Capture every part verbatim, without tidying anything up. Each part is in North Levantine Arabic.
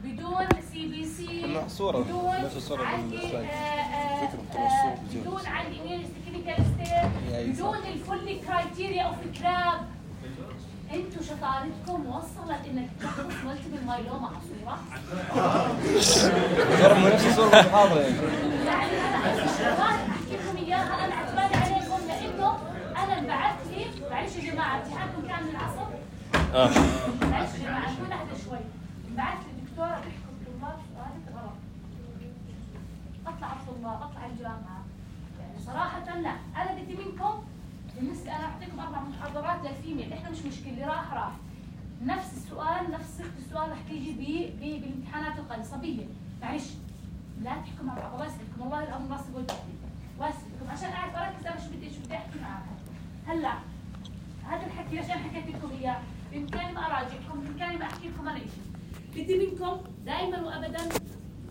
بدون سي بي سي، صورة بدون نفس الصورة عندي فكرة بدون عندي كلينيكال ستيب، بدون الفل كرايتيريا اوف كراب. انتوا شطارتكم وصلت انك تشخص مالتيبل مايلوما على صورة؟ صورة نفس الصورة المحاضرة يعني. يعني انا احكي لكم اياها، انا عتبالي عليكم لانه انا انبعث لي. معلش يا جماعه امتحانكم كان من العصر؟ اه معلش يا جماعه كون اهدى شوي. انبعث لي الدكتوره تحكي الطلاب سؤالك غلط. اطلع على الطلاب، اطلع الجامعه. يعني صراحه لا، انا بدي منكم بالنسبه انا اعطيكم اربع محاضرات للفيميل، احنا مش مشكله اللي راح راح. نفس السؤال نفس صيغه السؤال رح تيجي بي بالامتحانات القصبيه. معلش لا تحكوا مع بعض، الله يسعدكم، والله الامر ناصب والبعدي واسعدكم عشان اعرف اركز انا شو بدي ايش بدي احكي معاكم. هلا هذا الحكي عشان حكيت لكم اياه، بامكاني ما اراجعكم، بامكاني ما احكي لكم انا شيء. بدي منكم دائما وابدا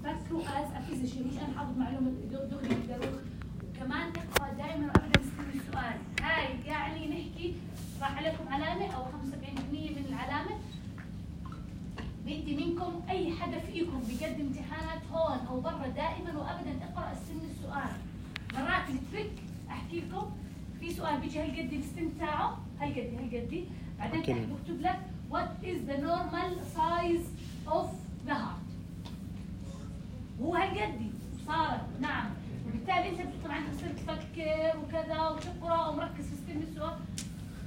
فكروا از افيزيشن، مش انا حافظ معلومه دغري تقدروا. وكمان اقرا دائما وابدا استنوا السؤال. هاي يعني نحكي راح عليكم علامه او خمسة وسبعين بالمئة من العلامه. بدي منكم اي حدا فيكم بقدم امتحانات هون او برا دائما وابدا اقرا السن السؤال. مرات التريك احكي لكم في سؤال بيجي هالقد السن تاعه هالقد هالقد، بعدين بكتب لك what is the normal size of the heart. هو هالقد صارت نعم، وبالتالي انت طبعا تصير تفكر وكذا وتقرا ومركز في سن السؤال.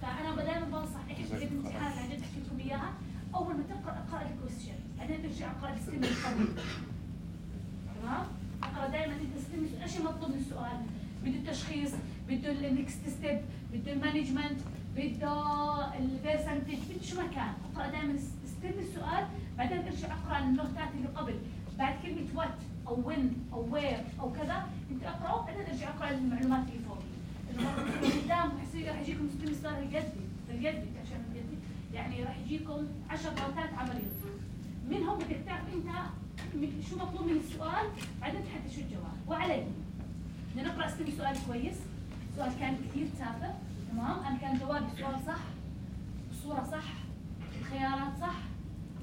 فانا دائما بنصح اي حد بقدم امتحانات عن جد احكي لكم اياها، اول ما تقرا اقرا الكويستشن، بعدين ترجع اقرا السن الطويل. تمام؟ اقرا دائما انت السن ايش المطلوب من السؤال؟ بده التشخيص، بده النكست ستيب، بده المانجمنت، بده البرسنتج، بده شو ما كان، اقرا دائما استنى السؤال، بعدين ارجع اقرا النوتات اللي قبل، بعد كلمه وات او وين او وير او كذا، انت اقراه بعدين ارجع اقرا المعلومات اللي فوق. اللي قدام رح يجيكم استنى السؤال هالقد هالقد عشان هالقد يعني رح يجيكم عشر غلطات عمليه. منهم بدك تعرف انت شو مطلوب من السؤال، بعدين تحدد شو الجواب. وعلي بدنا نقرا استنى السؤال كويس. السؤال كان كثير تافه، تمام؟ انا كان جوابي السؤال صح، الصوره صح، الخيارات صح،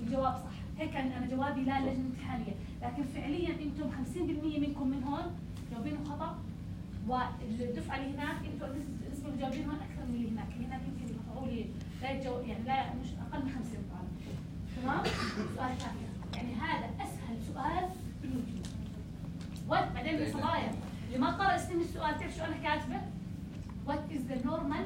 الجواب صح. هيك كان انا جوابي لا للجنه الامتحانيه، لكن فعليا انتم خمسين بالمئة منكم من هون جاوبينه خطا، والدفعه اللي هناك انتم النسبه اللي جاوبين هون اكثر من اللي هناك، اللي هناك يمكن يقطعوا لي لا يتجو... يعني لا مش اقل من خمسين طالب. تمام؟ سؤال ثاني، يعني هذا اسهل سؤال بالوجود. وبعدين يا صبايا اللي ما قرأ استنى السؤال، تعرف شو انا كاتبه؟ What is the normal؟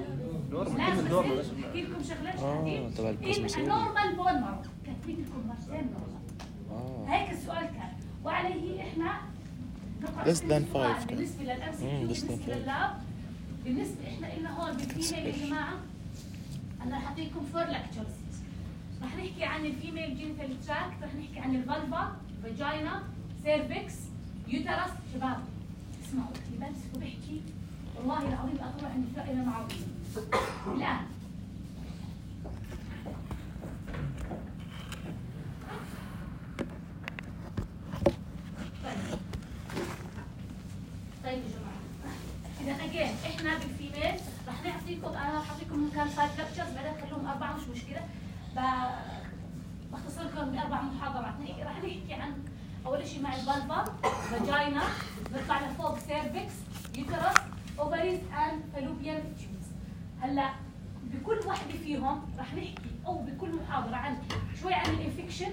لازم احكي لكم شغله شديد. in a normal bone marrow، كاتبين لكم مرتين normal. هيك السؤال كان، وعليه احنا نقرأ استنى السؤال بالنسبه للام سي كيو، بالنسبه لللاب، بالنسبه احنا لنا هون بالفيميل يا جماعه. انا رح اعطيكم فور لكتشرز. رح نحكي عن الفيميل جينيتال تراكت، رح نحكي عن الفالفا، فاجينا، سيرفكس، يوترس. شباب اسمعوا اللي بمسك وبحكي والله العظيم اطلع عند فائده معروفه. الان طيب طيب يا جماعه، اذا اجين احنا بالفيميل رح نعطيكم، انا رح اعطيكم كان فايف لكتشرز، بعدين خلوهم اربعه مش مشكله، بختصر لكم باربع محاضرات. رح نحكي عن اول شيء مع الفالفا، فاجينا، نطلع لفوق سيرفكس، يوترس، اوفريز اند فالوبيان تيوبز. هلا بكل واحده فيهم رح نحكي او بكل محاضره عن شوي عن الانفكشن،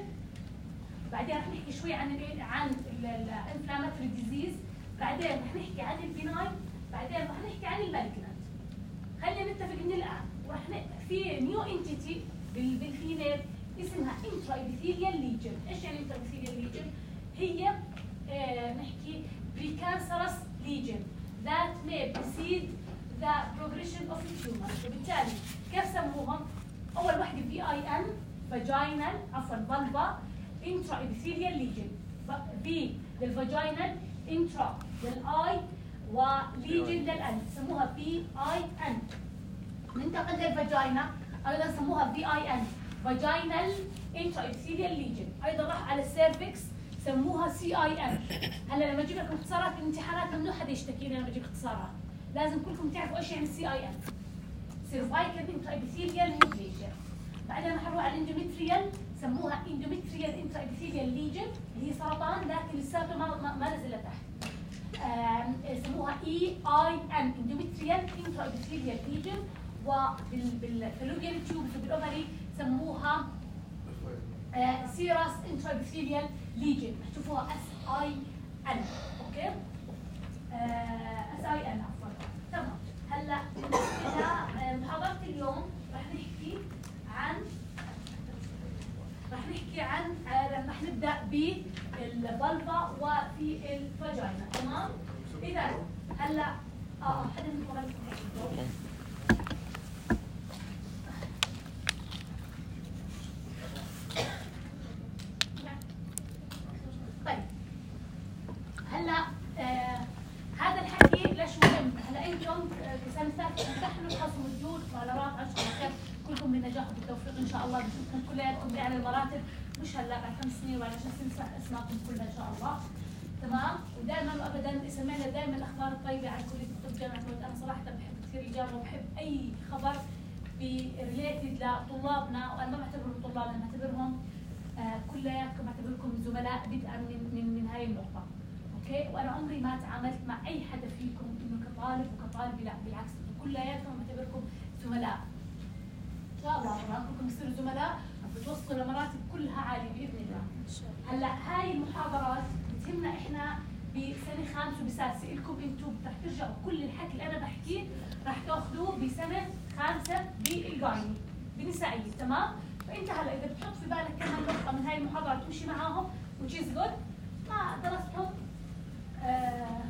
بعدين رح نحكي شوي عن ال عن الانفلاماتوري ديزيز، بعدين رح نحكي عن البيناين، بعدين رح نحكي عن المالجنانت. خلينا نتفق من الان، ورح في نيو انتيتي بالفيميل اسمها انترا ابيثيليال ليجن. ايش يعني انترا ابيثيليال ليجن؟ هي آه نحكي precancerous lesion that may precede the progression of the tumor. وبالتالي كيف سموهم؟ اول وحده في اي ان vaginal عفوا vulva intra epithelial lesion، في للفاجينال انترا للاي وليجن للان، سموها في اي ان. ننتقل للفاجينا ايضا سموها في اي ان vaginal intra epithelial lesion. ايضا راح على السيرفكس سموها سي اي ان. هلا لما اجيب لكم اختصارات بالامتحانات ممنوع حدا يشتكيني لما اجيب اختصارات، لازم كلكم تعرفوا ايش يعني السي اي ان. سيرفايكال انترا ابيثيليال نيوبليجيا. بعدين رح نروح على الاندوميتريال سموها endometrial intraepithelial lesion اللي هي سرطان لكن لساته ما ما, ما نزل لتحت. سموها اي اي ان endometrial intraepithelial lesion، وبالفالوبيان تيوبس وبالاوفري سموها سيراس intraepithelial lesion، تشوفوها اس اي ان. اوكي؟ اس اي ان عفوا. تمام. هلا بالنسبه لمحاضره اليوم رح نحكي عن رح نحكي عن رح نبدا بالفالفا وفي الفاجينا. تمام؟ اذا هلا اه حدا منكم غير طيب هلا آه هذا الحكي ليش مهم؟ هلا انتم بسنه ثالثه امتحنوا تحصلوا الجود مهارات عشرة خير، كلكم بالنجاح وبالتوفيق ان شاء الله، بشوفكم كلياتكم باعلى المراتب، مش هلا بعد خمس سنين وبعد عشر سنين اسمعكم كلها ان شاء الله. تمام؟ ودائما وابدا سمعنا دائما الاخبار الطيبه عن كليه الطب جامعه مود. انا صراحه بحب كثير الاجابه وبحب اي خبر بريليتد لطلابنا، وانا ما بعتبرهم طلاب، انا بعتبرهم آه كلياتكم بعتبركم زملاء بدءا من من من هاي النقطه. اوكي؟ وانا عمري ما تعاملت مع اي حدا فيكم انه كطالب وكطالب، لا بالعكس كلياتكم بعتبركم زملاء. ان شاء الله طبعا كلكم تصيروا زملاء بتوصلوا لمراتب كلها عاليه باذن الله. هلا هاي المحاضرات بتهمنا احنا بسنه خامسه وبسادسه، لكم انتم رح ترجعوا كل الحكي اللي انا بحكيه رح تاخذوه بسنه خامسه بالجايني بالنسائيه. تمام؟ فانت هلا اذا بتحط في بالك كمان نقطه من هاي المحاضرات تمشي معاهم وتشيز جود، ما درستهم آه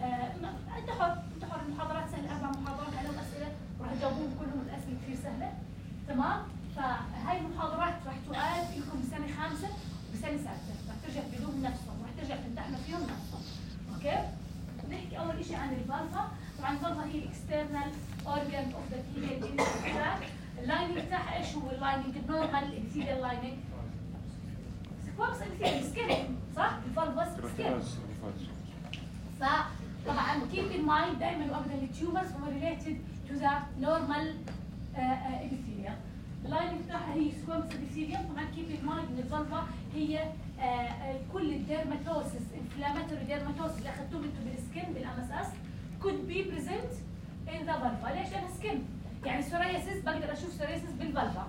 آه انت حر، انت حر. المحاضرات سهله، اربع محاضرات عليهم اسئله وراح تجاوبوهم كلهم، الاسئله كثير سهله. تمام؟ فهاي المحاضرات راح تؤاد لكم بسنه خامسه وبسنه سادسه، راح ترجع تفيدوهم نفسهم، راح ترجع تمتحنوا فيهم نفسهم. اوكي؟ نحكي اول شيء عن الفالفا. طبعا الفالفا هي الاكسترنال اورجان اوف ذا فيميل جينيتال. اللايننج تاعها ايش هو اللايننج؟ النورمال ابيثيليال لايننج سكوابس ابيثيليال سكين، صح؟ الفالفا سكين. فطبعا keep in mind دائما وابدا التيومرز هم related to the normal uh, epithelium. اللايننج بتاعها هي سكوامس ابيثيليوم. طبعا keep in mind ان الفالفا هي uh, uh, كل الديرماتوسس انفلاماتوري ديرماتوسس اللي اخذتوه انتم بالسكن بالام اس اس could be present in the vulva. ليش؟ لانها سكن، يعني سورياسيس بقدر اشوف سورياسيس بالفالفا،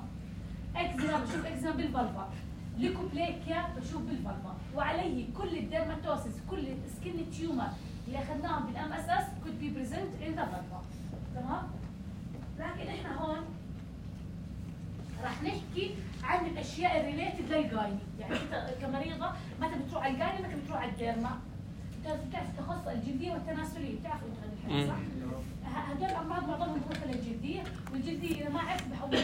اكزيما بشوف اكزيما بالفالفا، ليكوبليكيا بشوف بالفالفا، وعليه كل الديرماتوسس كل السكن تيومر اللي اخذناهم بالام اس اس could be present in the vulva. تمام؟ لكن احنا هون راح نحكي عن الاشياء الريليتد للجايني، يعني انت كمريضه متى بتروح على الجايني متى بتروح على الديرما. بتعرف بتعرف التخصص الجلديه والتناسليه، بتعرفوا انتوا هذا الحكي صح؟ هدول الامراض معظمهم بروح للجلديه، والجلديه اذا ما عرفت بحول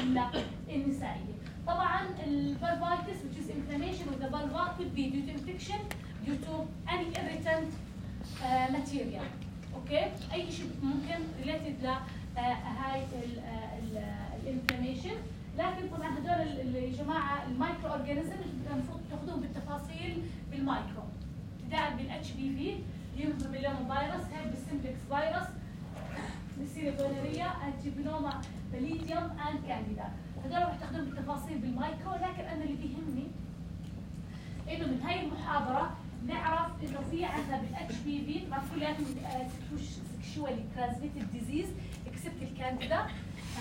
للنسائيه. طبعا الفالفايتس which is inflammation of the vulva could be due to infection due to any irritant uh, material. اوكي؟ اي شيء ممكن ريليتد ل uh, هاي الانفلاميشن. لكن طبعا هدول يا جماعه المايكرو اورجانيزم المفروض تاخذوهم بالتفاصيل بالمايكرو، ابتداء بالاتش بي في هيومن بابيلوما فيروس، هيربس سمبلكس فيروس، نسيريا جونوريا، انتيبيلوما باليديوم اند كانديدا. هدول رح تاخذوهم بالتفاصيل بالمايكرو. لكن انا اللي بيهمني انه من هاي المحاضره نعرف انه في عندنا بالاتش بي في طبعا كلياتهم سكشوالي ترانسميتد ديزيز اكسبت الكانديدا.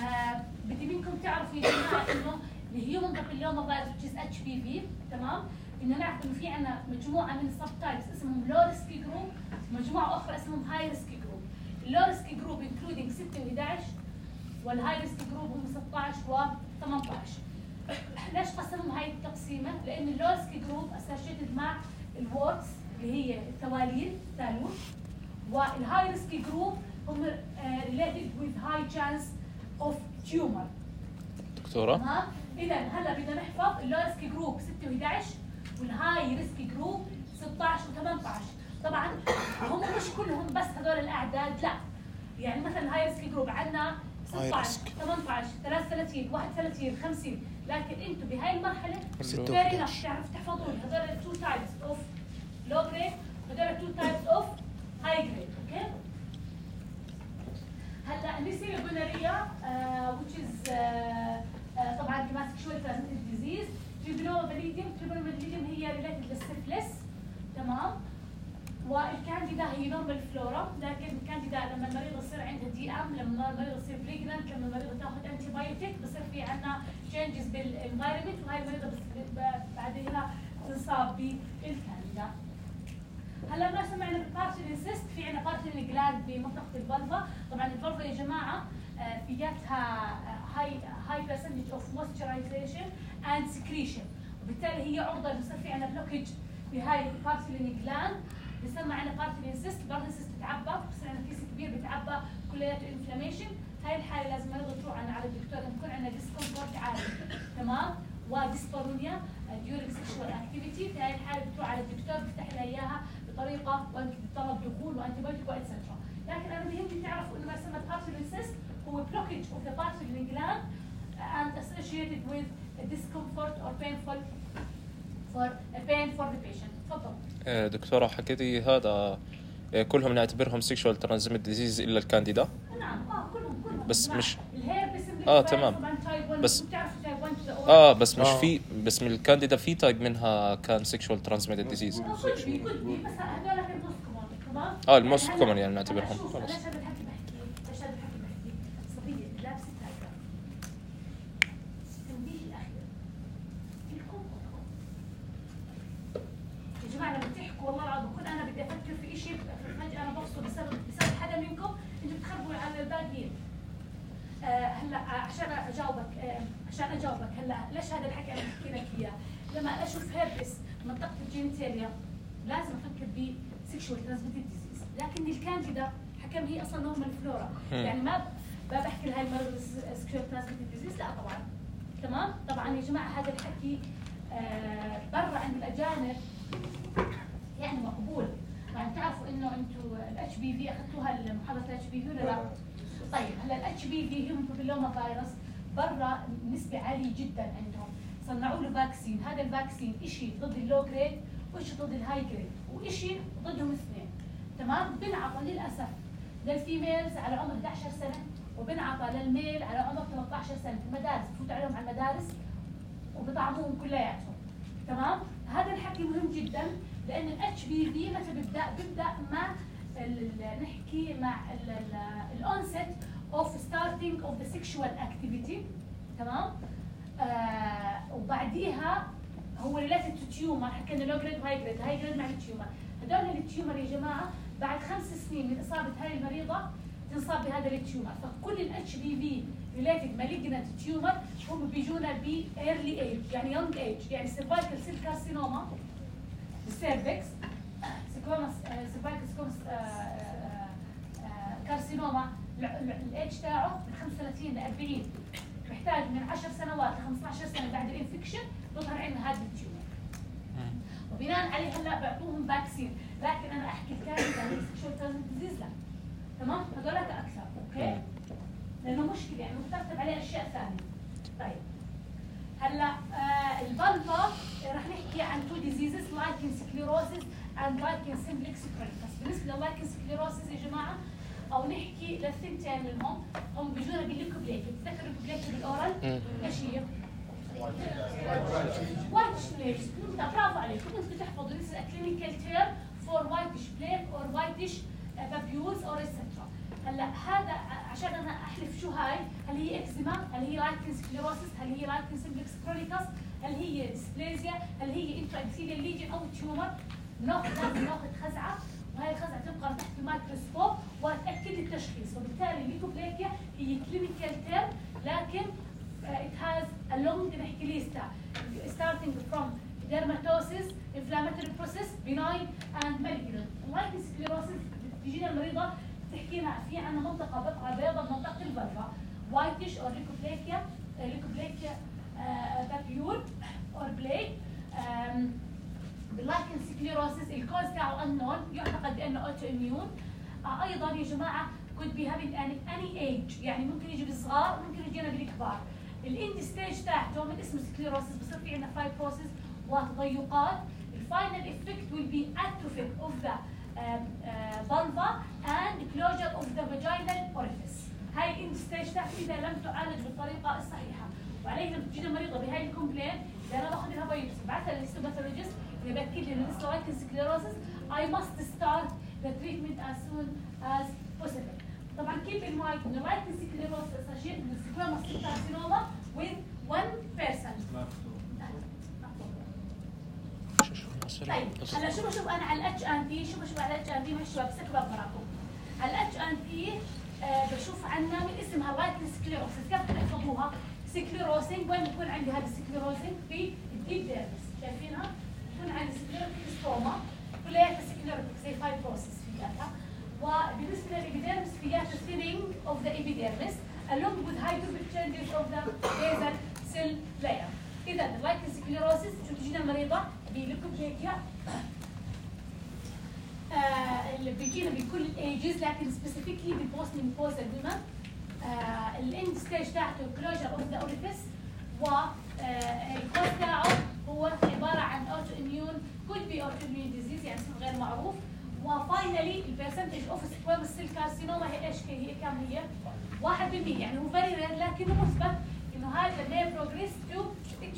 آه بدي منكم تعرفوا يا جماعه انه الهيومن بابيلوما فيروس which is اتش بي في، تمام؟ بدنا نعرف انه في عندنا مجموعه من السب تايبس اسمهم لو ريسكي جروب، مجموعه اخرى اسمهم هاي ريسكي جروب. اللو ريسكي جروب انكلودينج ستة و احد عشر، والهاي ريسكي جروب هم ستة عشر و ثمانية عشر. ليش قسمهم هاي التقسيمه؟ لان اللو ريسكي جروب اسوشيتد مع الورتس اللي هي التواليل ثالوث، والهاي ريسكي جروب هم ريليتد وذ هاي تشانس اوف تيومر. دكتوره تمام؟ اذا هلا بدنا نحفظ اللو ريسكي جروب ستة و احد عشر والهاي ريسكي جروب ستة عشر و ثمانية عشر. طبعا هم مش كلهم بس هذول الاعداد، لا، يعني مثلا الهاي ريسكي جروب عندنا ستة عشر ثمانية عشر ثلاثة وثلاثين واحد وثلاثين خمسين، لكن انتم بهاي المرحله فيري ناف تعرف تحفظون هذول التو تايبس اوف لو جريد هذول التو تايبس اوف هاي جريد. اوكي؟ هلا نسير الجونوريا which is uh, uh, طبعا كمان sexually transmitted disease تريبانوما باليديوم. تريبانوما باليديوم هي ريليتد للسيفلس، تمام. والكانديدا هي نورمال فلورا، لكن الكانديدا لما المريض يصير عندها دي ام، لما المريض يصير بريجننت، لما المريض تاخذ انتي بايوتيك بصير في عندنا تشينجز بالانفايرمنت، وهي المريضه بعدها تنصاب بالكانديدا. هلا ما سمعنا بالبارتلين سيست، في عندنا بارتلين جلاند بمنطقه الفالفا. طبعا الفالفا يا جماعه فياتها هاي هاي برسنتج اوف مويسترايزيشن اند سكريشن، وبالتالي هي عرضه بصير في عندنا بلوكج بهاي البارتلين جلاند، بسمى عندنا بارتلين سيست. برضه سيست بتعبى، بصير عندنا كيس كبير بتعبى كلياته انفلاميشن. هاي الحاله لازم المريض تروح عنا على الدكتور، يكون عندنا ديسكومفورت عالي، تمام، وديسبارونيا ديورينج سيكشوال اكتيفيتي. في هاي الحاله بتروح على الدكتور بيفتح لها اياها بطريقه وانت بتطلب دخول وانتي بايوتيك واتسترا. لكن انا بيهمني تعرفوا انه ما يسمى بارتلين سيست هو blockage of the Bartholin gland and associated with a discomfort or painful for a pain for the patient. تفضل. دكتورة حكيتي هذا كلهم نعتبرهم sexual transmitted disease إلا الكانديدا؟ نعم اه كلهم كلهم بس مش الهيربس اه تمام بس اه بس مش في بس من الكانديدا في تايب منها كان sexual transmitted disease. اه كل بي كل بي بس هذول كانوا موست كومون، تمام. اه الموست كومون يعني نعتبرهم خلص. ليش هذا الحكي بحكي؟ ليش هذا الحكي بحكي؟ صبية لابسة تايجر. التنبيه الأخير فيكم خذكم. يا جماعة لما بتحكوا والله العظيم بكون أنا بدي أفكر في شيء فجأة أنا بفصل بسبب بسبب حدا منكم أنتوا بتخربوا على الباقيين. آه هلا عشان اجاوبك آه عشان اجاوبك هلا ليش هذا الحكي انا بحكي لك اياه؟ لما اشوف هيربس منطقه الجينيتاليا لازم افكر ب سيكشوال ترانسميتد ديزيز، لكن الكانديدا حكم هي اصلا نورمال فلورا، يعني ما ما بحكي لهي المرض سيكشوال ترانسميتد ديزيز، لا طبعا. تمام؟ طبعا يا جماعه هذا الحكي آه برا عند الاجانب يعني مقبول. يعني تعرفوا انه انتم الاتش بي في اخذتوها المحاضره الاتش بي في ولا لا؟ طيب هلا الاتش بي في هيومن بابيلوما فيروس برا نسبه عاليه جدا عندهم، صنعوا له فاكسين. هذا الفاكسين شيء ضد اللو جريد وشيء ضد الهاي جريد وشيء ضدهم اثنين، تمام. بنعطى للاسف للفيميلز على عمر إحدى عشر سنه، وبنعطى للميل على عمر ثلاثة عشر سنه في المدارس، بفوت عليهم على المدارس وبطعموهم كلياتهم، تمام. هذا الحكي مهم جدا لان الاتش بي في متى بيبدا بيبدا مع نحكي مع الأونست of starting of the sexual activity، تمام. آه وبعديها هو related to tumor، حكينا low grade وهاي grade، هاي grade مع التيومر. هدول التيومر يا جماعه بعد خمس سنين من اصابه هاي المريضه تنصاب بهذا التيومر، فكل الاتش بي في related malignant tumor هم بيجونا ب early age يعني young age، يعني cervical cell carcinoma السيرفكس، سيكوماس سيرفايكال سيكوماس كارسينوما الايدج تاعه من خمسة وثلاثين ل أربعين، محتاج من عشر سنوات ل خمسة عشر سنه بعد الانفكشن تظهر عندنا هذا التيومر، وبناء عليه هلا بيعطوهم فاكسين. لكن انا احكي الكانديدا سيكشوال ترانسميتد ديزيز لا، تمام. هذولك اكثر، اوكي، لانه مشكله يعني مترتب عليه اشياء ثانيه. طيب هلا آه الفالفا رح نحكي عن تو ديزيزز، لايكن سكليروسيس اند لايكن سمبلكس كرونيكس. بالنسبه للايكن سكليروسيس يا جماعه او نحكي للثنتين منهم، هم بيجونا بالليكوبليك. بتذكروا الليكوبليك بالاورال ايش هي؟ وايتش بليك. برافو عليكم، انتم تحفظوا لسه كلينيكال تيرم فور وايتش بليك اور وايتش بابيولز اور اكسترا. هلا هذا عشان انا احلف شو هاي، هل هي اكزيما؟ هل هي لايكن سكليروسيس؟ هل هي لايكن سمبلكس كرونيكس؟ هل هي ديسبليزيا؟ هل هي انتراكسيليا ليجن او تيومر؟ ناخذ لازم ناخذ خزعه، وهي الخزعه تبقى تحت الميكروسكوب وتاكد التشخيص. وبالتالي الليكوبليكيا هي كلينيكال تيرم، لكن it has a long نحكي ليستا starting from dermatosis, inflammatory process, benign and malignant. لايكن سكليروسيس بتجينا المريضه تحكي لنا في عندنا منطقه بقعه بيضاء بمنطقه الفالفا، وايتش او ليكوبليكيا ليكوبليكيا بابيول اور بليك. باللايكن سكليروسيس الكوز تاعه انون، يعتقد بانه اوتو اميون. آه ايضا يا جماعه could be having any age، يعني ممكن يجي بالصغار ممكن يجينا بالكبار. الاند ستيج تاعته من اسمه سكليروسيس بصير في عندنا فايبروسيس وتضيقات. الفاينل افكت will be atrophy of the vulva and closure of the vaginal orifice. هاي الاند ستيج تاعته اذا لم تعالج بالطريقه الصحيحه، وعليها بتجينا مريضه بهاي الكومبلين اذا انا باخذ لها بايوبسي بعثها للهيستوباثولوجيست اللي بياكد لي انه لسه لايكن سكليروسس I must start the treatment as soon as possible. طبعا keep in mind انه لايكن سكليروسس associated with squamous cell carcinoma with one person. طيب هلا شو بشوف انا على الاتش ان تي شو بشوف على الاتش ان تي مع الشباب سكباب براكم. على الاتش ان تي آه بشوف عنا من اسمها لايكن سكليروسس كيف تحفظوها؟ سكليروسينج وين بكون عندي هذا السكليروسينج في الديب ديرمس شايفينها؟ بكون عندي سكليروتيك ستوما كلياتها سكليروتيك زي فايبروسس فياتها وبالنسبه للابيديرمس فياتها ثينينج اوف ذا ابيديرمس along with hydrophic changes of the basal cell layer. اذا اللايكن سكليروسس شو تجينا المريضه بليكوبليكيا آه اللي بيجينا بكل الايجز لكن سبيسيفيكلي بالبوست مينوبوزال ويمن آه الاند ستيج تاعته كلوجر اوف ذا اوريفيس والكوز تاعه هو عباره عن اوتو اميون could be autoimmune disease يعني اسم غير معروف وفاينلي البرسنتج اوف سكويموس سيل كارسينوما هي ايش هي كم هي؟ واحد بالمية يعني هو فيري رير لكنه مثبت انه هذا may progress to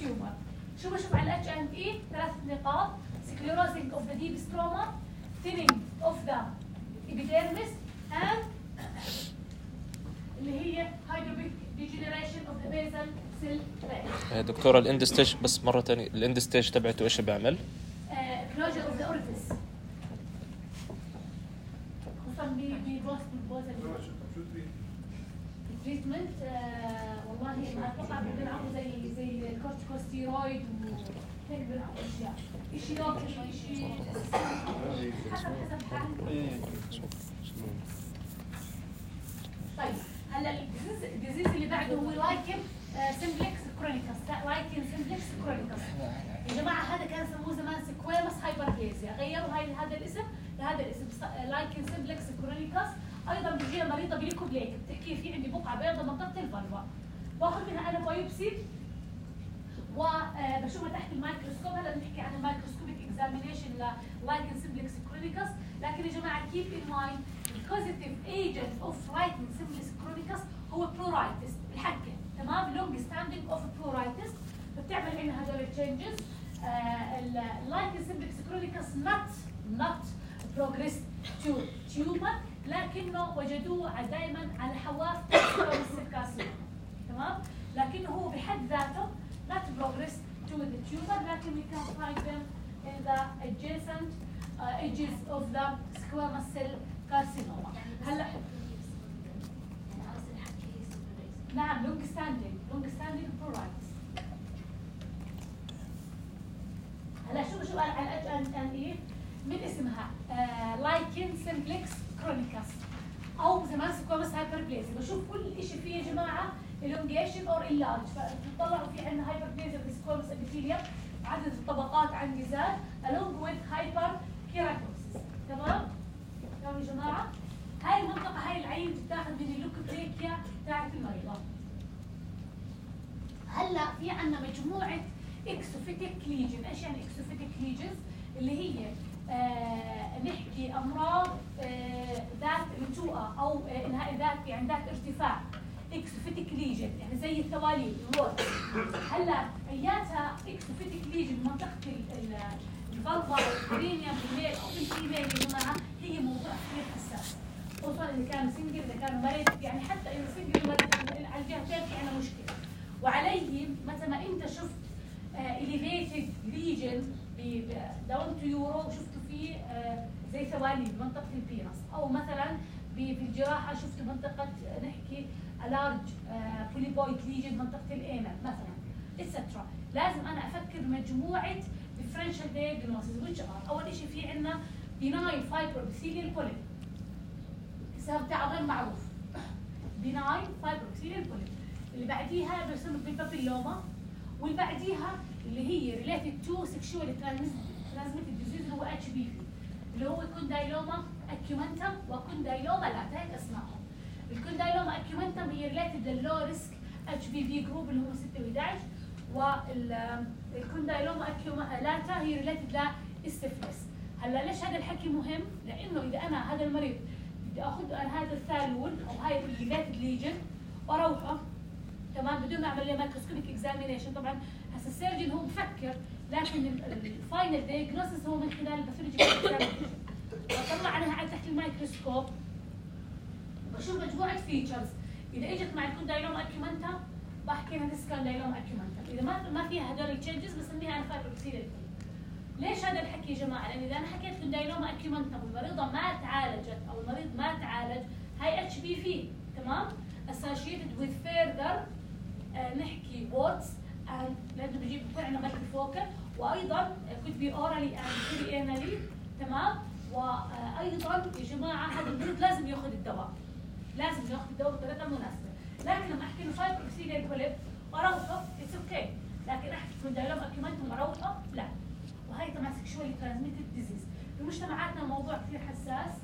tumor. شو بشوف على الاتش ان اي؟ ثلاث نقاط sclerosing of the deep stroma, thinning of the epidermis and اللي هي hydrophic degeneration of the basal cell layer. دكتورة الاند ستيج بس مرة ثانية الاند ستيج تبعته ايش بيعمل؟ closure of the orifice. خصوصا ببوست البوزل. التريتمنت والله ما اتوقع بنلعبوا زي زي الكورتيكوستيرويد وهيك بنلعبوا اشياء. شيء لوكل شيء حسب حسب حالته. طيب هلا الديزيز اللي بعده هو لايكن سمبلكس كرونيكس لايكن سمبلكس كرونيكس. يا جماعه هذا كان يسموه زمان سكويموس هايبربليزيا غيروا هاي هذا الاسم لهذا الاسم لايكن سمبلكس كرونيكس. ايضا بتجينا مريضه بليكوبليك بتحكي في عندي بقعه بيضاء منطقه الفالفا باخذ منها انا بايوبسي وبشوفها تحت الميكروسكوب. هلا بنحكي عن الميكروسكوبيك اكزامينيشن للايكن سمبلكس كرونيكس لكن يا جماعه كيب ان مايند الكوزيتيف ايجنت اوف لايكن سمبلكس كرونيكس هو بلورايتس الحكه تمام لونج ستاندينج اوف بلورايتس بتعمل عندنا هدول التشينجز. اللايكن سمبلكس كرونيكس نوت نوت بروجريس تو تيومر لكنه وجدوه دائما على حواف الكارسينوما تمام لكنه هو بحد ذاته not progress to the tumor لكن we can find them in the adjacent uh, edges of the squamous cell carcinoma. هلا نعم long standing long standing pruritus. هلا شو بشوف على الاتش ان ان اي من اسمها لايكن سمبلكس كرونيكس او زمان سكواموس هايبربليزيا. بشوف كل شيء فيه يا جماعه elongation or enlarge فبتطلعوا في عندنا هايبربليزيا في سكواموس ابيثيليوم عدد الطبقات عندي زاد along with hyperkeratosis تمام؟ تمام يا جماعه؟ هاي المنطقه هاي العين بتاخذ من اللوكوبليكيا تاعت المريضه. هلا في عندنا مجموعه اكسوفيتيك ليجن. ايش يعني اكسوفيتيك ليجنز؟ اللي هي آه نحكي امراض آه ذات نتوءه او آه انهاء ذات يعني ذات ارتفاع اكسوفيتيك ليجن يعني زي الثواليل الروت. هلا اياتها اكسوفيتك ليجن منطقه الفالفا والكرينيوم بالميل او بالفيميل يا جماعه هي موضوع كثير حساس خصوصا اذا كان سنجل اذا كان مريض يعني حتى اذا سنجل مريض على الجهتين في عندنا مشكله. وعليه متى ما انت شفت اليفيتد ليجن داون تو يورو وشفتوا فيه آه زي ثواليل بمنطقه البينس او مثلا في الجراحه شفتوا منطقه نحكي لارج بوليبويد ليجن منطقه الانال مثلا اتسترا. لازم انا افكر مجموعه ديفرنشال دايجنوستس which are اول شيء في عندنا بيناين فايبروبثيليال بوليب السبب تاعه غير معروف بيناين فايبروبثيليال بوليب. اللي بعديها بيسمى بالبابيلوما واللي بعديها اللي هي ريليتد تو سكشوال ترانسميتد ديزيز هو اتش بي في اللي هو كوندايلوما اكيومنتم وكوندايلوما لا هيك اسمائهم. الكوندايلوما اكيومنتم هي ريليتد للو ريسك اتش بي في جروب اللي هم ستة وأحد والكوندايلوما اكيومنتم لاتا هي ريليتد للسيفلس. هلا ليش هذا الحكي مهم؟ لانه اذا انا هذا المريض بدي اخذ هذا الثالول او هاي الريليتد ليجن واروحه تمام بدون ما اعمل له مايكروسكوبيك اكزامينيشن. طبعا هسه السيرجن هو بفكر، لكن الفاينل دايجنوستس هو من خلال الباثولوجيكال اكزامينشن. بطلع عليها على تحت الميكروسكوب بشوف مجموعه فيتشرز، اذا اجت مع الكوندايلوما اكيومنتا بحكي انها كوندايلوما اكيومنتا، اذا ما ما فيها هدول التشينجز بسميها انا فايبروكسيل. ليش هذا الحكي يا جماعه؟ لان اذا انا حكيت كوندايلوما اكيومنتا والمريضه ما تعالجت او المريض ما تعالج، هاي اتش بي في، تمام؟ associated with further آه نحكي warts and لانه بيجيب بيكون عندنا مالتي فوكال، وايضا could be orally and perianally، تمام؟ وايضا يا جماعه هذا المريض لازم ياخذ الدواء، لازم ياخذ الدواء بطريقه مناسبه، لكن لما احكي له فايبروكسيل بوليب واروحه اتس اوكي، لكن احكي كوندايلوما اكيومنتا واروحه لا. وهي طبعا سكشوالي ترانسميتد ديزيز، بمجتمعاتنا موضوع كثير حساس،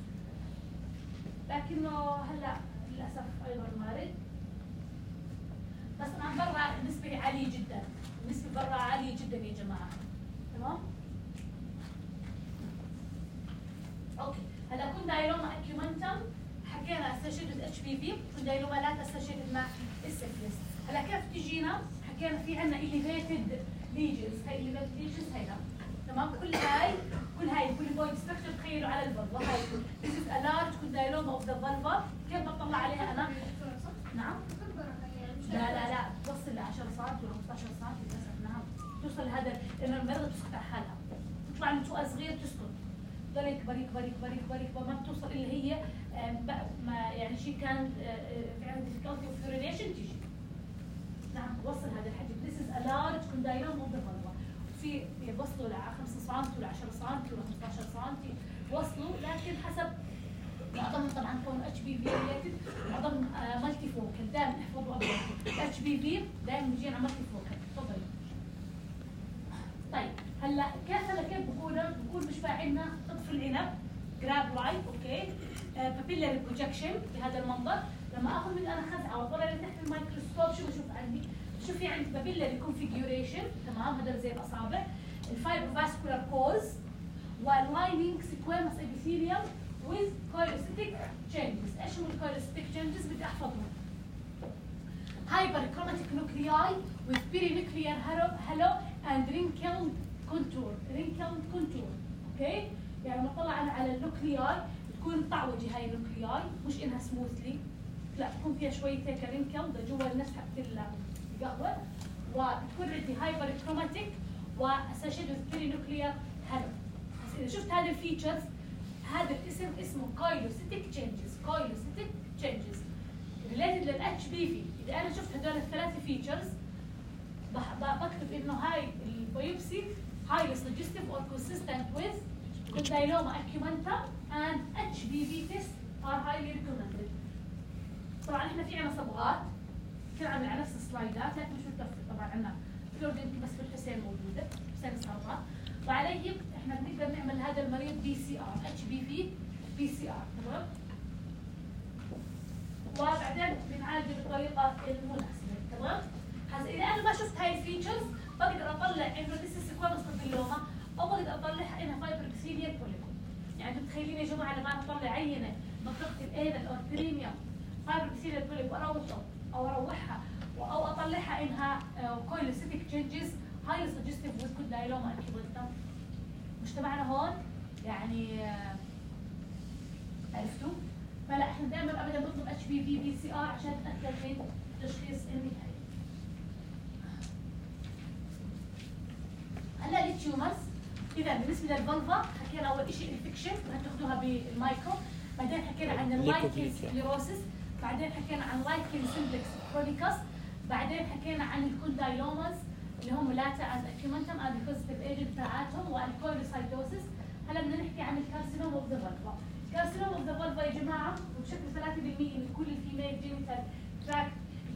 لكنه هلا للاسف ايضا وارد. بس طبعا برا النسبه عاليه جدا، النسبه برا عاليه جدا يا جماعه، تمام؟ اوكي، هلا كوندايلوما اكيومنتم حكينا اسوشيتد اتش بي في، كوندايلوما لا اسوشيتد مع السيفلس. هلا كيف تجينا؟ حكينا في عندنا اليفيتد ليجنز، هي اليفيتد ليجنز هيدا، تمام؟ كل هاي كل هاي البوليبويد ستراكشر تخيلوا على الفلفا، هاي this is a large condyloma of the vulva. كيف بطلع عليها انا؟ نعم؟ لا لا لا توصل ل عشرة سم ولا خمسطعش سم للاسف، نعم توصل لهذا، لانه المريضه بتسكت على حالها، تطلع من سوق صغير تسكت، تضل يكبر يكبر يكبر يكبر يكبر ما بتوصل الا هي ما يعني شيء كان في عندها difficulty of urination تيجي. نعم توصل هذا الحجم، this is a large condyloma of the vulva. في بيوصلوا ل خمسة سم ولا عشرة سم ولا خمسطعش سم وصلوا، لكن حسب معظمهم طبعا كون اتش بي في ريليتد، معظمهم مالتي فوكال، دائما احفظوا ابدا اتش بي في دائما بيجينا مالتي فوكال. تفضلي. طيب هلا كيف هلا كيف بقولها؟ بقول مش عندنا قطف العنب جراب لايت، اوكي؟ بابيلاري بروجكشن بهذا المنظر، لما اخذ من انا خزعه واطلع لتحت الميكروسكوب شو بشوف عندي؟ شوف في عندي بابيلاري كونفيجوريشن، تمام؟ هذول زي الاصابع، الفايبروفاسكولار كوز، واللايننج سيكويمس ابيثيليوم with cholecytic changes. ايش هم الكوليستيك changes؟ بدي احفظهم. Hyperchromatic nuclei with perinuclear halo and wrinkled contour. wrinkled contour. اوكي؟ يعني لما اطلع انا على النوكلياي بتكون مطعوجه هاي النوكلياي، مش انها سموثلي، لا بتكون فيها شويه هيك wrinkled جوا النفس حق القهوه، وبتكون عندي hyperchromatic واسوشيتد with perinuclear halo. بس اذا شفت هذه الفيتشرز، هذا الاسم اسمه كايلوسيتيك تشينجز، كايلوسيتيك تشينجز ريليتد للاتش بي في. اذا انا شفت هذول الثلاثه فيتشرز بكتب انه هاي البيوبسي highly suggestive or consistent with condyloma acumentum and اتش بي في tests are highly recommended. طبعا احنا في عنا صبغات كل عامل على نفس السلايدات، لكن مش متوفر طبعا عنا فلورد يمكن بس في الحسين موجوده، حسين الصبغات، وعليه احنا بنقدر نعمل هذا المريض بي سي ار، اتش بي في بي سي ار، تمام؟ وبعدين بنعالجه بالطريقه المناسبه، تمام؟ هسه اذا انا ما شفت هاي الفيتشرز بقدر اطلع انه ذيس سيكويمس كونديلوما، او بقدر اطلعها انها فايبروكسيليا بوليب. يعني انتم متخيلين يا جماعه لما انا اطلع عينه منطقه الانال او البريميوم فايبروكسيليا بوليب واروحه او اروحها او اطلعها انها كويلوسيتيك تشينجز هاي سجستيف وذ كونديلوما اكيومنتم. مجتمعنا هون يعني عرفتوا؟ فلا احنا دائما ابدا بنطلب اتش بي في بي سي ار عشان نتاكد من التشخيص النهائي. هلا التيومرز، اذا بالنسبه للفلفا حكينا اول شيء انفكشن هتاخذوها بالمايكرو، بعدين حكينا عن اللايكين سكليروسيس، بعدين حكينا عن لايكين سمبلكس كرونيكس، بعدين حكينا عن الكوندايلوماز اللي هم لاتا اند اكيومنتم اند البوزيتيف ايجنت تاعاتهم والكولوسايتوسيس. هلا بدنا نحكي عن الكارسينوم اوف ذا فالفا. الكارسينوم اوف ذا فالفا يا جماعه بشكل ثلاثة بالمئة من كل الفيميل جينيتال تراكت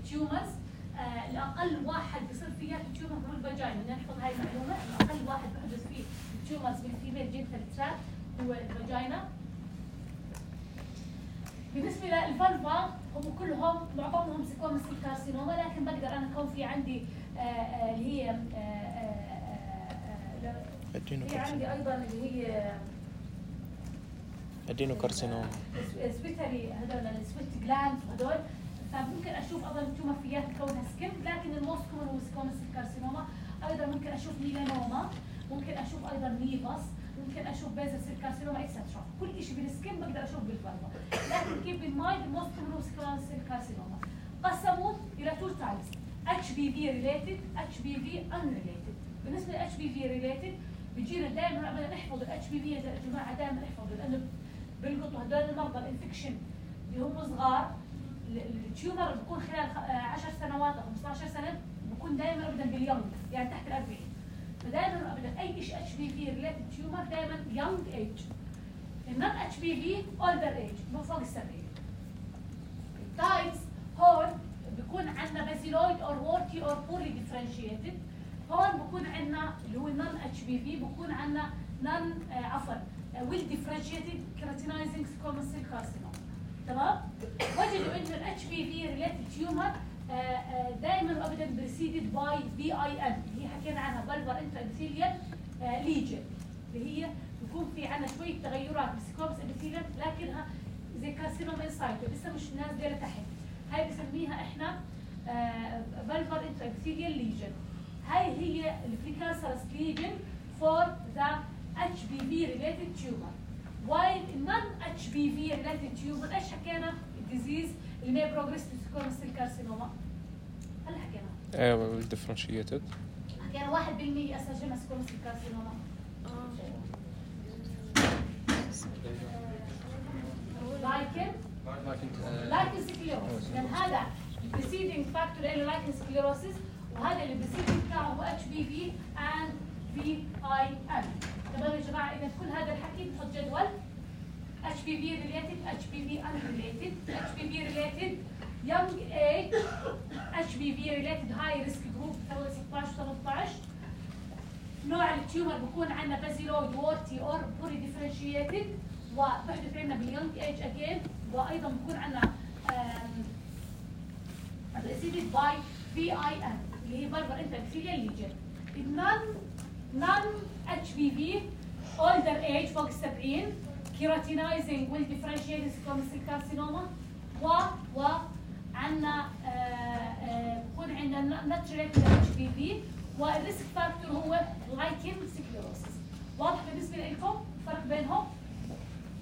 تيومرز، آه الاقل واحد بصير فيها تيومر هو الفاجينا، بدنا نحفظ هاي المعلومه، الاقل واحد بحدث فيه تيومرز بالفيميل جينيتال تراكت هو الفاجينا. بالنسبه للفالفا هم كلهم معظمهم سيكومس الكارسينوما، لكن بقدر انا كون في عندي آه آه اللي هي آه آه آه في عندي ايضا اللي هي ادينوكارسينوما، سويتري هذول السويت جلاند وهذول، فممكن اشوف ايضا تومر فيها كونها سكن، لكن الموست كومن هو سيكومس الكارسينوما ايضا ممكن اشوف ميلانوما، ممكن اشوف ايضا نيفاس، ممكن اشوف بيزل سيل كارسينوما اكسترا. كل شيء بالسكين بقدر اشوف بالفالفا. لكن كيف بالمايند الموست كومن سكويرال سيل كارسينوما قسموا الى تو تايبس، اتش بي في ريليتد، اتش بي في ان ريليتد. بالنسبه للاتش بي في ريليتد بيجينا دائما ابدا نحفظ الاتش بي في يا جماعه، دائما نحفظ لانه بيلقطوا هدول المرضى الانفكشن اللي هم صغار، التيومر بيكون خلال عشر سنوات او خمسطعش سنه بيكون دائما ابدا باليونج، يعني تحت الأربعين. فدائما ابدا اي شيء اتش بي في ريليتد تيومر دائما يونج ايج. النون اتش بي في اولدر ايج من فوق السبعين. التايبس هون بيكون عندنا بازيلويد اور وورتي اور بوري ديفرنشيتد. هون بكون عندنا اللي هو نون اتش بي في، بكون عندنا نون آه عفوا ويل ديفرنشيتد كيراتينايزنج سكوموس سيل كارسينوما. تمام؟ وجدوا انه الاتش بي في ريليتد تيومر دائما وابدا بريسيدد باي بي اي ان اللي هي حكينا عنها بلفر انترا ابيثيليال ليجن، اللي هي بيكون في عندنا شويه تغيرات بالسكوموس ابيثيليال لكنها زي كارسينوما انسايتو لسه مش نازله لتحت. هاي بسميها احنا بلفر انترا ابيثيليال ليجن. هاي هي البريكانسرس ليجن فور ذا اتش بي في ريليتد تيومر. وايل النون اتش بي في ريليتد تيومر ايش حكينا؟ الديزيز اللي ما بروجريس تو سكوموس سيل كارسينوما. هلا حكينا ايوه الديفرنشيتد حكينا واحد بالمية اسجلنا سكوموس سيل كارسينوما. لايكن لايكن سكليروسيس، لان هذا البريسيدنج فاكتور له لايكن سكليروسيس، وهذا اللي بريسيدنج بتاعه هو اتش بي في اند في اي ان. تمام يا جماعه؟ اذا كل هذا الحكي بنحط جدول اتش بي في ريليتد، اتش بي في ان ريليتد، اتش بي في ريليتد young age، اتش بي في ريليتد هاي ريسك جروب ستطعش وثمنطعش. نوع التيومر بكون عندنا بازيلويد وورتي اور بوري ديفرنشيتد، وبحدث عندنا باليونج ايج اجين، وايضا بكون عندنا بريسيدد باي في اي ان اللي هي بلفر انترا ابيثيليال ليجن. النون نون اتش بي في اولدر ايج فوق السبعين، كيراتينايزنج ويل ديفرنشيتد سكوموس سيل كارسينوما، و و عندنا بكون عندنا نوت ريليتد اتش بي في، والريسك فاكتور هو لايكن سكليروسيس. واضح بالنسبه لكم الفرق بينهم؟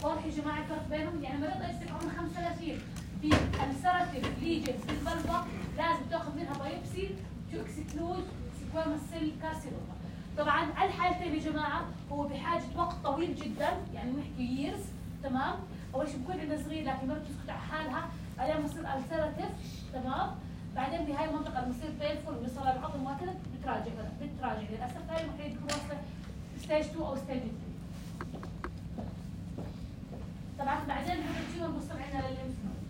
واضح يا جماعه الفرق بينهم؟ يعني مريض يصير عمره خمس ثلاثين بالالسراتيف ليجنز بالبلفا لازم تاخذ منها بايوبسي تو اكسكلود سكوموس سيل كارسينوما. طبعا على الحالتين يا جماعه هو بحاجه وقت طويل جدا، يعني نحكي ييرز. تمام؟ اول شيء بكون عندنا صغير لكن ما بتسكت على حالها، بعدين بصير السراتيف. تمام؟ بعدين بهاي المنطقه لما يصير بينفول ويوصل العظم وهكذا بتراجع بتراجع للاسف هاي المفروض تكون واصله ستيج اثنين او ستيج ثلاثة. طبعا بعدين هذا التيومر بوصل عندنا للليمف نود.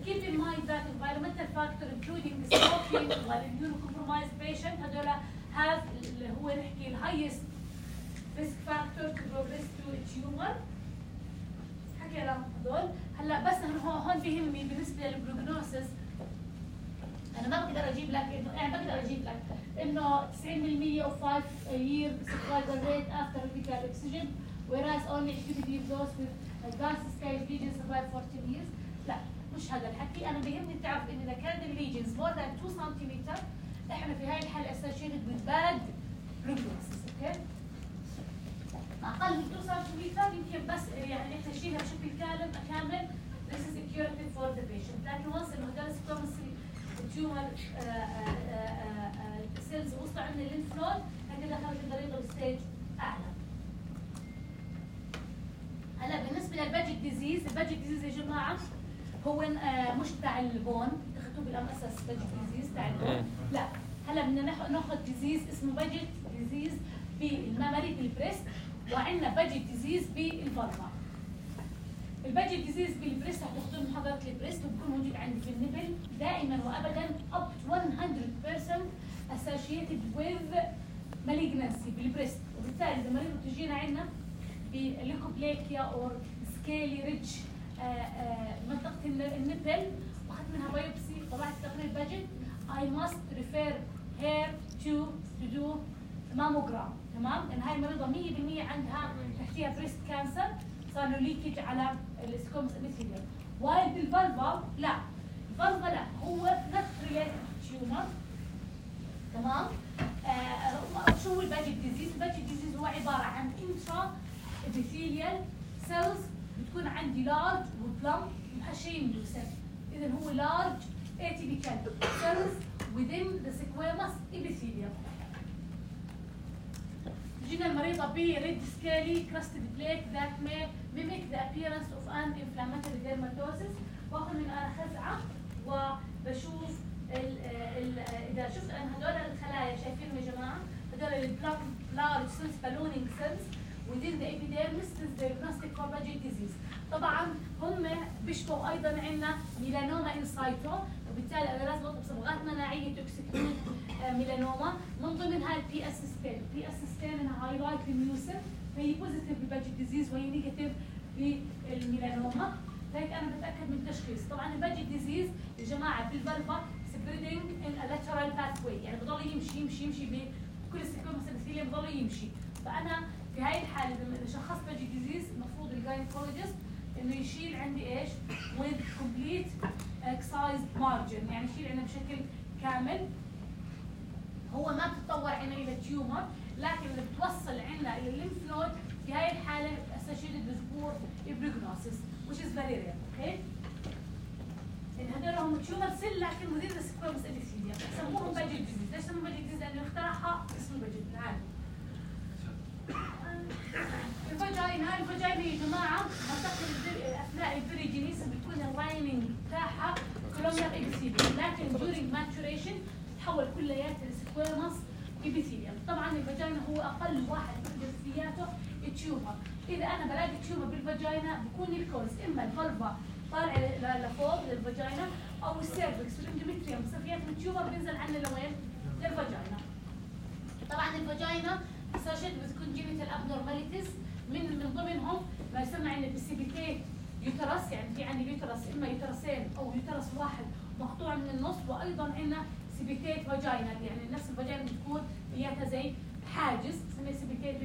Keep in mind that environmental factor including smoking والimmunocompromised patient هذول have اللي هو نحكي ال highest risk factor to progress to a tumor. حكينا هذول. هلا بس هون هون بيهمني بالنسبه للبروجنوسيس، انا ما بقدر اجيب لك انه يعني بقدر اجيب لك انه تسعين بالمية of five year survival rate after medical oxygen whereas only activity of those with advanced stage lesions survive fourteen years. لا مش هذا الحكي، انا بيهمني تعرف ان اذا كانت الليجنز more than two centimeters احنا في هاي الحاله associated with bad prognosis. اوكي؟ اقل من two centimeters يمكن بس يعني احنا نشيلها بشكل كامل كامل this is a curative for the patient، لكن once انه هذول سكوموس تيومر سيلز وصلوا عند الليمف نود هكذا دخلت المريضه بستيج اعلى. هلا بالنسبه للباجيك ديزيز، الباجيك ديزيز يا جماعه هو آه مش تاع البون، اخذتوه بالام اساس باجيك ديزيز تاع البون، لا هلا بدنا ناخذ ديزيز اسمه باجيك ديزيز بالمامري بالبريست، وعندنا باجيك ديزيز بالفالفا. الباجيك ديزيز بالبريست رح تاخذوه محاضره البريست وبكون موجود عندي في النبل دائما وابدا up to one hundred percent associated with malignancy بالبريست، وبالتالي اذا مريض تجينا عندنا بليكوبليكيا او سكيلي ريتش منطقه النبل واخذت منها بايوبسي طلعت تقرير باجيك، I must refer her to to do mammogram. تمام؟ لان هاي المريضه مية بالمية عندها تحتيها بريست كانسر صار له ليكج على السكوموس ابيثيليوم. وايل بالفالفا لا، الفالفا لا هو نوت ريليتد تيومر تمام؟ آه شو هو الباجيت ديزيز؟ الباجيت ديزيز هو عباره عن انترا ابيثيليال سيلز بتكون عندي لارج وبلم محشين بيوسف. اذا هو لارج atypical cells within the squamous epithelium. جينا المريضة ب red scaly crusted plaque that may mimic the appearance of an inflammatory dermatosis. باخذ من انا خزعة وبشوف ال ال اذا شفت انا هذول الخلايا شايفينهم يا جماعة؟ هذول البلم large cells ballooning cells within the epidermis is diagnostic for Paget disease. طبعا هم بيشبهوا ايضا عندنا ميلانوما انسايتو، وبالتالي انا لازم اطلب صبغات مناعيه توكسيك ميلانوما من ضمنها البي اس ستين، البي اس ستين انها هايلايت للميوسن فهي بوزيتيف بالباجيت ديزيز وهي نيجاتيف بالميلانوما، فهيك انا بتاكد من التشخيص. طبعا الباجيت ديزيز يا جماعه بالفالفا سبريدنج ان ا لاترال باث واي، يعني بضل يمشي يمشي يمشي بكل السكومس الابيثيليوم بضل يمشي. فانا في هاي الحاله لما شخصت باجيت ديزيز المفروض الجاينيكولوجيست انه يشيل عندي ايش؟ with complete excised margin، يعني يشيل عندنا بشكل كامل. هو ما بتتطور عندنا الى تيومر، لكن اللي بتوصل عندنا الى الليمف نود في هاي الحاله associated with poor prognosis which is very rare، اوكي؟ ان هذول هم تيومر سيل لكن within the squamous epithelium، يسموهم باجيت ديزيز، ليش سموهم باجيت ديزيز؟ لانه اخترعها اسمه باجيت العالم. الفاجينا الفاجينا يا جماعه اثناء البريجينيس بتكون اللايننج بتاعها كولومنر ابيثيليوم، لكن during maturation تتحول كلياتها لسكويموس ابيثيليوم. طبعا الفاجينا هو اقل واحد من جنسياته تيومر. اذا انا بلاقي تيومر بالفاجينا بكون الكوز اما الفالفا طالع لفوق للفاجينا او السيرفكس والاندوميتريوم صفيات من التيومر بينزل عنا لوين؟ للفاجينا. طبعا الفاجينا associated with congenital abnormalities من من ضمنهم ما يسمى عندنا بالسيبيتيت يوترس، يعني في عندي يوترس اما يوترسين او يوترس واحد مقطوع من النص، وايضا عندنا سيبيتيت فاجينا، يعني نفس الفاجينا بتكون اياها زي حاجز بسميه سيبيتيت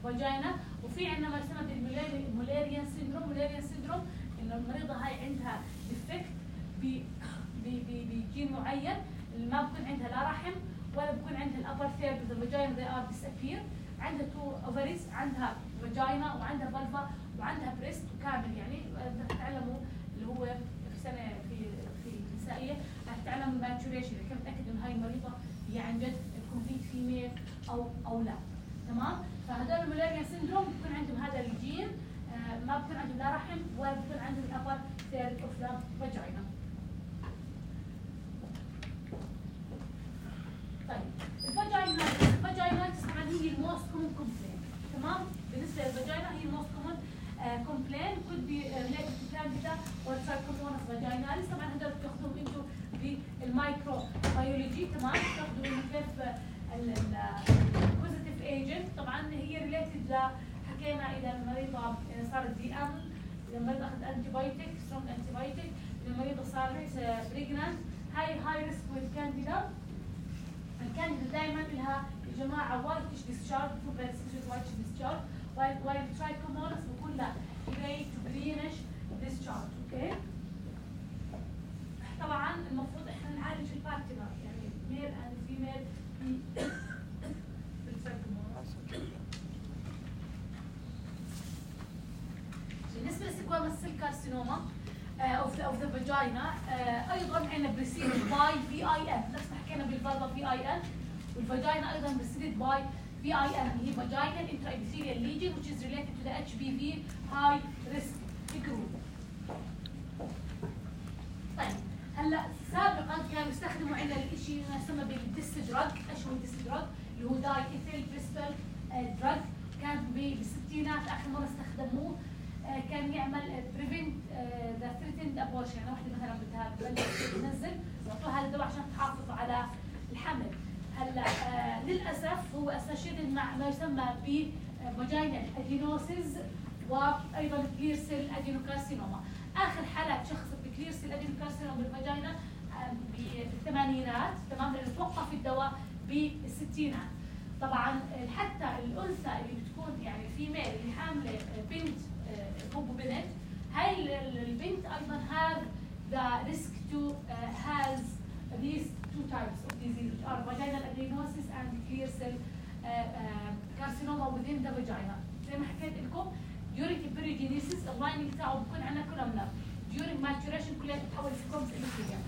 فاجينا. وفي عندنا ما يسمى بالمولاريان سيندروم، مولاريان سيندروم انه المريضه هاي عندها ديفكت بجين معين ما بكون عندها لا رحم ولا بكون عندها الابر ثيرد اوف ذا فاجينا they are disappear، عندها تو اوفريز، عندها فاجينا وعندها فالفا وعندها بريست كامل، يعني تعلموا اللي هو في سنه في في النسائيه تعلموا الماتوريشن، كيف نتاكد انه هاي المريضه هي عن جد كومبليت فيميل او او لا. تمام؟ فهذول المولاريان سيندروم بكون عندهم هذا الجين، آه ما بكون عندهم لا رحم ولا بكون عندهم الابر ثيرد اوف ذا فاجينا. طيب الفاجينا الفاجينايتس طبعا هي الموست كومن كومبلين، تمام؟ بالنسبه للفاجينا هي الموست كومن كومبلين could be related to candida or trichomonas vaginalis. طبعا هذول بتاخذوهم انتم بالمايكرو بيولوجي، تمام؟ بتاخذوا انه كيف البوزيتيف ايجنت، طبعا هي ريليتد ل حكينا اذا المريضه صارت دي ام، اذا المريضه اخذت انتي بايوتيك سترونج انتي بايوتيك، اذا المريضه صارت بريجنانت هاي هاي ريسك وذ كانديدا. الكانديدا دائما لها يا جماعه وايتش ديسشارج، بتكون بيرسيستنت وايتش ديسشارج، وايل وايل ترايكومونس بكون لا جراي تو جرينش ديسشارج، اوكي؟ طبعا المفروض احنا نعالج البارتنر يعني ميل اند فيميل بالترايكومونس. بالنسبه للسيكويموس سيل كارسينوما اوف ذا اوف ذا فاجينا ايضا عندنا بريسيد باي في اي ان، نفس ما حكينا بالفالفا في اي ان، والفاجينا ايضا بريسيد باي في اي ان هي vaginal intraepithelial lesion which is related to the اتش بي في high risk group. طيب هلا سابقا كانوا يستخدموا عندنا الشيء اللي يسمى بالديس دراج، ايش هو الديس دراج؟ اللي هو داي ايثيل بريستول دراج، كان بالستينات اخر مره استخدموه، كان يعمل بريفنت ذا ثريتند ابورشن، يعني وحده مثلا بدها تنزل يعطوها هذا الدواء عشان تحافظ على الحمل. هلا آه للاسف هو اسوشيتد مع ما يسمى ب فاجينال ادينوسيس وايضا كلير سيل ادينوكارسينوما. اخر حالات شخصت بكلير سيل ادينوكارسينوما بالفاجينا آه بالثمانينات، تمام؟ لانه توقف الدواء بالستينات. طبعا حتى الانثى اللي بتكون يعني فيميل اللي حامله بنت هو بنت، هاي البنت ايضا have the risk to uh, has these two types of disease, which are vaginal adenosis and clear cell uh, uh, carcinoma within the vagina. زي ما حكيت لكم during periogenesis اللايننج تاعه بكون عندنا columnar. during maturation كلها بتتحول سكومز epithelium.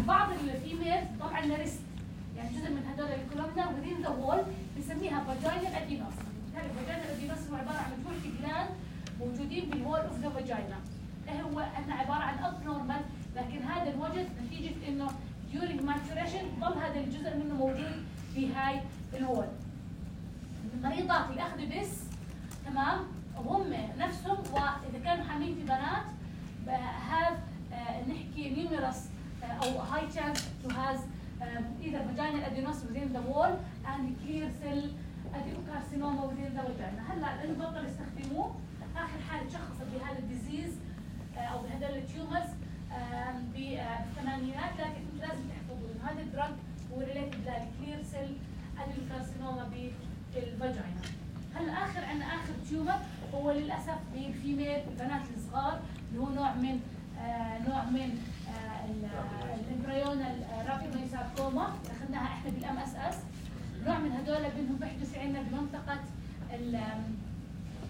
بعض الفيميل طبعا ريست يعني جزء من هذول الكولومنر within the wall بنسميها vaginal adenosis. بالتالي vaginal adenosis هو عباره عن مجموعه جلاند موجودين بالوول اوف ذا فاجينا. هو احنا عباره عن abnormal لكن هذا الوجد نتيجه انه during maturation ضل هذا الجزء منه موجود في هاي الوول. المريضات اللي اخذوا ديس تمام وهم نفسهم واذا كانوا حاملين في بنات have uh, نحكي numerous uh, او high chance to has uh, either vaginal adenosis within the wall and clear cell adenocarcinoma within the vagina. هلا لانه بطل يستخدموه اخر حاله شخصت بهذا الديزيز uh, او بهذول التيومرز uh, بالثمانينات لكن انتم لازم تحفظوا انه هذا الدراج هو ريليتد للكلير سيل adenocarcinoma بالفاجينا. هلا اخر عندنا اخر تيومر هو للاسف بالفيميل البنات الصغار اللي هو نوع من آه نوع من آه الامبريونال رابيدوساركوما اخذناها احنا بالام اس اس. نوع من هذول منهم بيحدث عندنا بمنطقه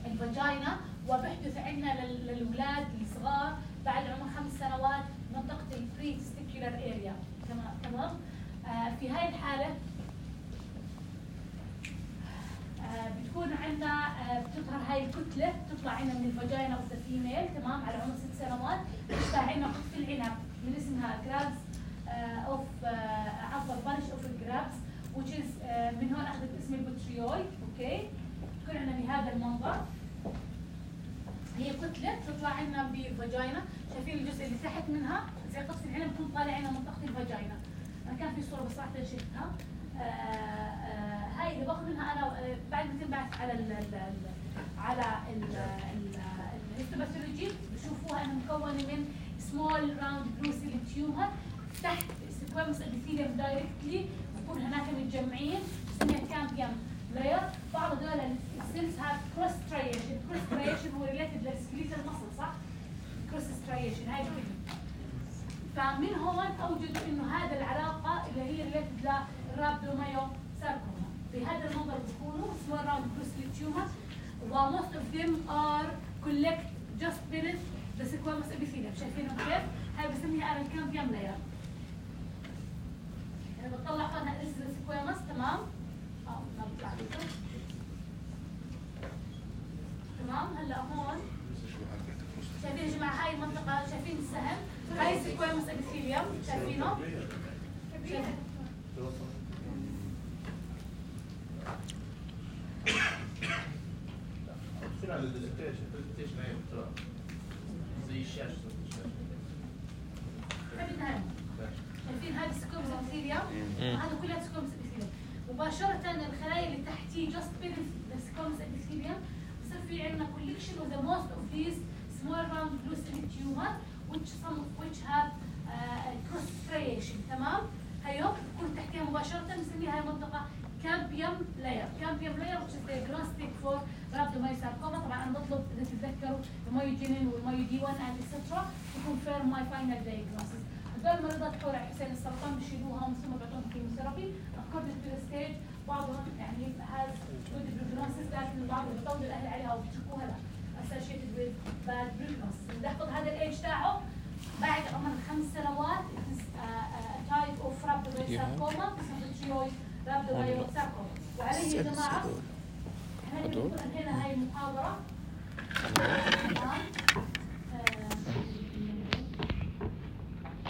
الفاجينا وبيحدث عندنا للاولاد الصغار بعد عمر خمس سنوات منطقه البري تستيكولار اريا. تمام تمام آه في هاي الحاله آه بتكون عندنا آه بتظهر هاي الكتله بتطلع عندنا من الفاجينا اوف ذا فيميل تمام على عمر ست سنوات بتطلع عندنا قطف العنب من اسمها جرابس اوف عفوا بانش اوف الجرابس which is آه من هون اخذت اسم البوتريوي. اوكي بتكون عندنا بهذا المنظر. هي كتله بتطلع عندنا بالفاجينا. شايفين الجزء اللي تحت منها زي قطف العنب بتكون طالع عندنا منطقه الفاجينا. انا كان في صوره بس راح شفتها. آه آه هاي اللي باخذ منها انا آه بعد ما تنبعث على ال ال على الهيستوباثولوجي بشوفوها انها مكونه من سمول راوند بلو سيل تيومر تحت سكويموس ابيثيليوم دايركتلي بكون هناك متجمعين بسميها كامبيوم لاير. بعض هذول السيلز هاف كروس ستريشن. كروس ستريشن هو ريليتد للسكليتال ماسل صح؟ كروس ستريشن هاي الكلمه. فمن هون اوجدوا انه هذا العلاقه اللي هي ريليتد للرابدومايوساركوما. بهذا المنظر بيكونوا small round cell tumors و most of them are collect just beneath the squamous epithelium. شايفينهم كيف؟ هاي بسميها انا الكامبيوم لاير. انا بطلع هون السكويموس تمام؟ اه ما بيطلع لكم. تمام هلا هون شايفين يا جماعه هاي المنطقه شايفين السهم؟ هاي السكويموس ابيثيليوم شايفينه؟ شايفين؟ شنو هذا الديزكتيشن؟ الديزكتيشن هي بتروح زي الشاشه شايفين هذا السكومس ابيثيليوم وهذا كلها سكومس ابيثيليوم. مباشرة الخلايا اللي تحتيه just beneath the squamous epithelium بصير في عندنا collection of the most of these small round blue cell tumor which some of which have uh, cross striation. تمام؟ هيو بتكون تحتيها مباشرة بنسميها هاي المنطقة كامبيوم لاير. كامبيوم لاير which is the diagnostic for rhabdomyosarcoma. طبعا انا بطلب اذا تتذكروا المايوجينين والمايو دي واحد and et cetera to confirm my final diagnosis. هذول المريضات حول حسين السرطان بيشيلوهم ثم بيعطوهم كيموثيرابي according to the stage. بعضهم يعني has good prognosis لكن البعض بيطول الاهل عليها وبيتركوها لا associated with bad prognosis. بنحفظ هذا الايج تاعه بعد عمر خمس سنوات it is a type of rhabdomyosarcoma اسمه rhabdomyosarcoma. وعليه يا جماعه احنا بنقول